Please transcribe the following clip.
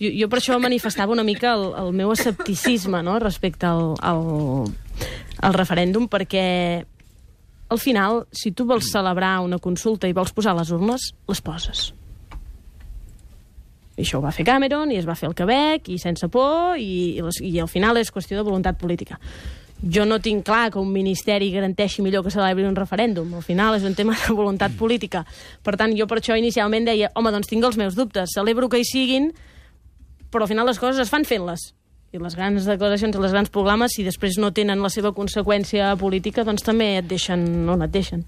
Jo per això manifestava una mica el meu escepticisme, no?, respecte al referèndum, perquè al final, si tu vols celebrar una consulta i vols posar les urnes, les poses. I això ho va fer Cameron, i es va fer al Quebec, i sense por, i al final és qüestió de voluntat política. Jo no tinc clar que un ministeri garanteixi millor que celebri un referèndum. Al final és un tema de voluntat política. Per tant, jo per això inicialment deia, home, doncs tinc els meus dubtes, celebro que hi siguin, però al final les coses es fan fent-les. I les grans declaracions, les grans proclames, si després no tenen la seva conseqüència política, doncs també et deixen on et deixen.